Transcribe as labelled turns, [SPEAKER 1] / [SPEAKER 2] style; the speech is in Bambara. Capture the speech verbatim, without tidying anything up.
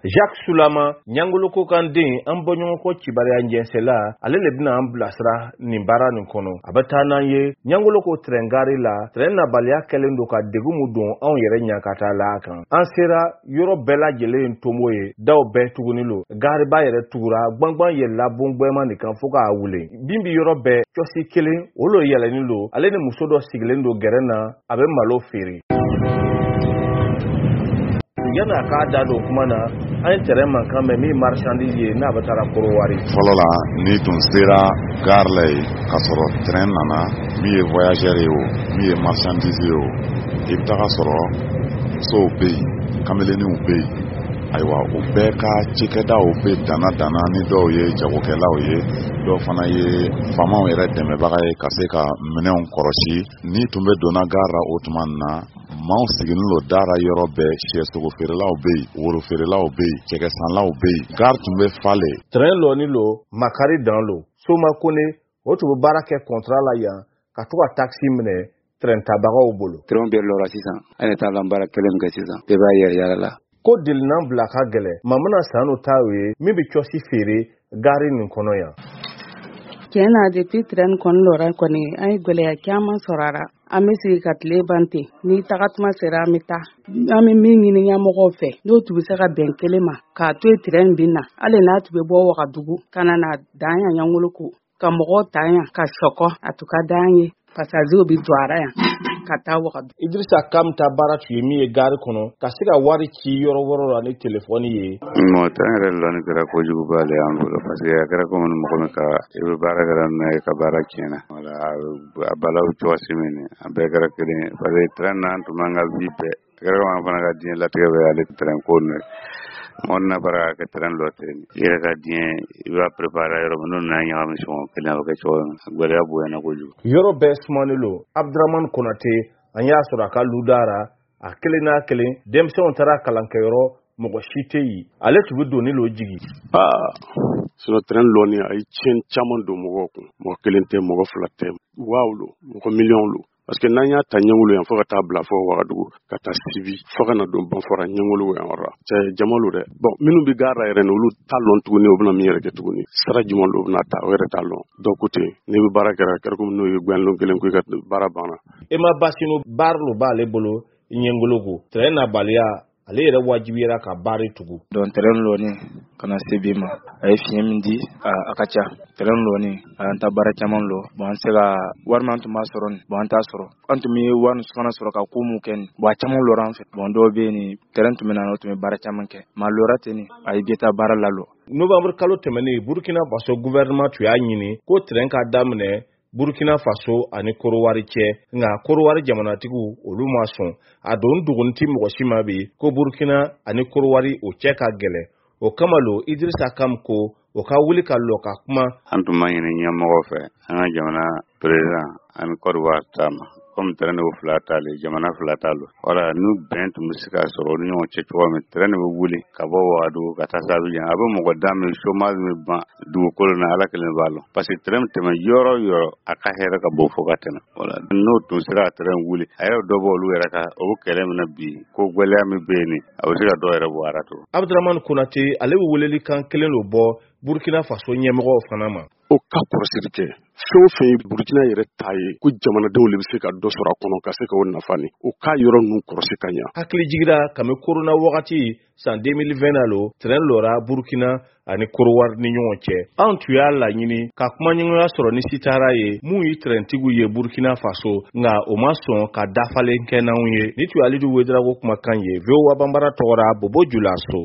[SPEAKER 1] Jacques Sulama, Ɲangoloko kan den, an bɔɲɔgɔnko kibaruya jɛnsɛla, ale le bɛna an bilasira nin baara nin kɔnɔ. A bɛ taa n'an ye Ɲangoloko tɛrɛn gari la. Tɛrɛn nabaliya kɛlen don ka degun mun don anw yɛrɛ ɲankata la kan. An sera yɔrɔ bɛɛ lajɛlen tomo ye, daw bɛɛ tuguni lo. Gariba yɛrɛ tugura, gbangban yɛlɛla bongbɛma nin kan fo k'a wuli. Bin bi yɔrɔ bɛɛ, cɔsi kelen o lo yɛlɛnin lo. Ale ni muso dɔ sigilen don gɛrɛn na, a bɛ malo feere. Yanni a k'a da don kuma na, an ye tɛrɛn mankan mɛn min marchandise ye n'a bɛ taara Korowari.
[SPEAKER 2] Fɔlɔ la, n'i tun sera gare la yen k'a sɔrɔ train nana, min ye voyageur ye o, min ye marchandise ye o, i bɛ taga sɔrɔ musow bɛ yen, kamelenninw bɛ yen. Ayiwa, o bɛɛ ka cikɛdaw bɛ danna danna ni dɔw ye jagokɛlaw ye, dɔw fana ye faamaw yɛrɛ dɛmɛbaga ye ka se ka minɛnw kɔrɔsi. N'i tun bɛ donna gare la o tuma na, maaw sigilen don da la yɔrɔ bɛɛ. Sɛsogo feerelaw bɛ yen, woro feerelaw bɛ yen, cɛkɛsanlaw bɛ yen, gare tun bɛ falen.
[SPEAKER 1] Tɛrɛn lɔni lo, makari dan lo. Soma Kone, o tun bɛ baara kɛ contrat la yan ka to ka taxi minɛ tɛrɛn tabagaw bolo.
[SPEAKER 3] Tɛrɛnw bɛɛ lɔra sisan, an ye taa lan baara kelen min kɛ sisan, bɛɛ b'a yɛrɛ yala la.
[SPEAKER 1] Ko delinan bila ka gɛlɛ, Mamana Sanu ta o ye min bɛ cɔsi feere gari nin kɔnɔ yan.
[SPEAKER 4] Tiɲɛ na, depuis tɛrɛn kɔni lɔra kɔni, an ye gɛlɛya caman sɔrɔ a la. An bɛ sigi ka tile ban ten, ni tagatuma sera an bɛ taa. An bɛ min ɲini ɲɛmɔgɔw fɛ, n'o tun bɛ se ka bɛn kelen ma k'a to yen tɛrɛn bin na, hali n'a tun bɛ bɔ Wagadugu ka na na dan yan Ɲangoloko, ka mɔgɔw ta yan ka sɔkɔ, a tun ka d'an ye. Passagerw bɛ don a la yan ka taa Wagadugu.
[SPEAKER 1] Idrissa Kam ta baara tun ye min ye gari kɔnɔ, ka se ka wari ci yɔrɔ wɛrɛw la ni telefɔni ye.
[SPEAKER 3] Mɔgɔ tɛrɛn yɛrɛ lɔnni kɛra kojuguba le y'an bolo, parce que a kɛra komi mɔgɔ min ka i bɛ baara kɛra min na, i ka baara tiɲɛna. Wala a balawu cogosi min, a bɛɛ kɛra kelen ye, parce que tɛrɛn na an tun b'an ka vie bɛɛ. A kɛra komi an fana ka diɲɛ latigɛ bɛ ale tɛrɛn ko ninnu ye. Mɔgɔ n'a bara ka kɛ tɛrɛn lɔ ten, i yɛrɛ ka diɲɛ i b'a préparer yɔrɔ min, n'o nana ɲagami sɔngɔ kelen, a bɛ kɛ cogo min, gɛlɛya bonyana kojugu.
[SPEAKER 1] Yɔrɔ bɛɛ sumanen lo. Abdramane Konate, an y'a sɔrɔ a ka ludara a kelen n'a kelen, denmisɛnw taara kalankɛyɔrɔ, mɔgɔ si tɛ yen. Ale tun bɛ doni lo jigi.
[SPEAKER 5] Aa, sinon tɛrɛn lɔni a ye tiɲɛ caman don mɔgɔw kun. Mɔgɔ kelen tɛ, mɔgɔ fila tɛ, waaw lo, mɔgɔ miliyɔn lo. Parce que n'an y'a ta Ɲangolo yan fo ka taa bila fo Wagadugu, ka taa Sibi, fo ka na don Banfora Ɲangolo yan yɔrɔ la, cɛ jama lo dɛ. Bon, minnu bɛ gare la yɛrɛ ni olu t'a lɔn tuguni, o bɛna min yɛrɛ kɛ tuguni, sira jumɛn lo bɛna ta, o yɛrɛ t'a lɔn. Dɔw ko ten, n'i bɛ baara kɛra, a kɛra komi n'o ye gbɛnlon kelen ko i ka baara banna.
[SPEAKER 1] Ema Basino, baara lo b'ale bolo Ɲangoloko. Tɛrɛn nabaliya, ale yɛrɛ wajibiyara ka baara tugu.
[SPEAKER 6] Donc tɛrɛn lɔni ka na se bi ma, a ye fiɲɛ min di, a ka ca. Tɛrɛn lɔni a y'an ta baara caman lɔ. Bon, an se ka wari min an tun b'a sɔrɔ nin, bon, an t'a sɔrɔ. An tun bɛ wari fana sɔrɔ ka ko mun kɛ nin, bon, a caman lɔra an fɛ. Bon, dɔw bɛ yen nin, tɛrɛn tun bɛ na, o tun bɛ baara caman kɛ, mais a lɔra ten nin, a ye bɛ taa baara lalɔ.
[SPEAKER 1] Novembre kalo tɛmɛnen, Burkina Faso gouvernement tun y'a ɲini ko tɛrɛn ka daminɛ Burkina Faso ani Korowari cɛ, nka Korowari jamanatigiw olu ma sɔn. A don dogoni ti mɔgɔ si ma bi ko Burkina ani Korowari o cɛ ka gɛlɛn. O kama lo Idrissa Kam ko o ka wuli ka lɔ ka kuma.
[SPEAKER 3] An tun b'a ɲini ɲɛmɔgɔw fɛ, an ka jamana président ani Côte d'Ivoire ta ma, komi tɛrɛn de fila t'ale, jamana fila t'a lo. Wala n'u bɛn tun bɛ se ka sɔrɔ u ni ɲɔgɔn cɛ cogo min, tɛrɛn de bɛ wuli ka bɔ Wagadugu ka taa se Abidjan, a bɛ mɔgɔ da min, chômage min ban dugukolo na, Ala kelen b'a lɔn. Parce que tɛrɛn bɛ tɛmɛ yɔrɔ o yɔrɔ, a ka hɛrɛ ka bon fo ka tɛmɛ. Wala n'o tun sera ka tɛrɛn wuli, a yɛrɛ dɔ bɔ olu yɛrɛ ka o kɛlɛ min na bi, ko gɛlɛya min bɛ yen nin, a bɛ se ka dɔ yɛrɛ bɔ a la tugun.
[SPEAKER 1] Abdramane Konate, ale bɛ weleli kan kelen lo bɔ Burkina Faso ɲɛmɔgɔw fana ma.
[SPEAKER 5] O ka kɔrɔsiri kɛ, fɛn o fɛn ye Burkina yɛrɛ ta ye, ko jamanadenw de bɛ se ka dɔ sɔrɔ a kɔnɔ ka se k'o nafa ni, o k'a yɔrɔ ninnu kɔrɔsi ka ɲa.
[SPEAKER 1] Hakili jigira kami korona wagati san deux mille vingt na lo tɛrɛn lɔra Burkina ani Korowari ni ɲɔgɔn cɛ. Anw tun y'a laɲini ka kumaɲɔgɔnya sɔrɔ ni Sitara ye mun ye tɛrɛntigiw ye Burkina Faso, nka o ma sɔn ka dafalen kɛ n'anw ye. Ni tun ye Alidu Wedarago kumakan ye V O A Banbara tɔgɔra Bobo Julaso.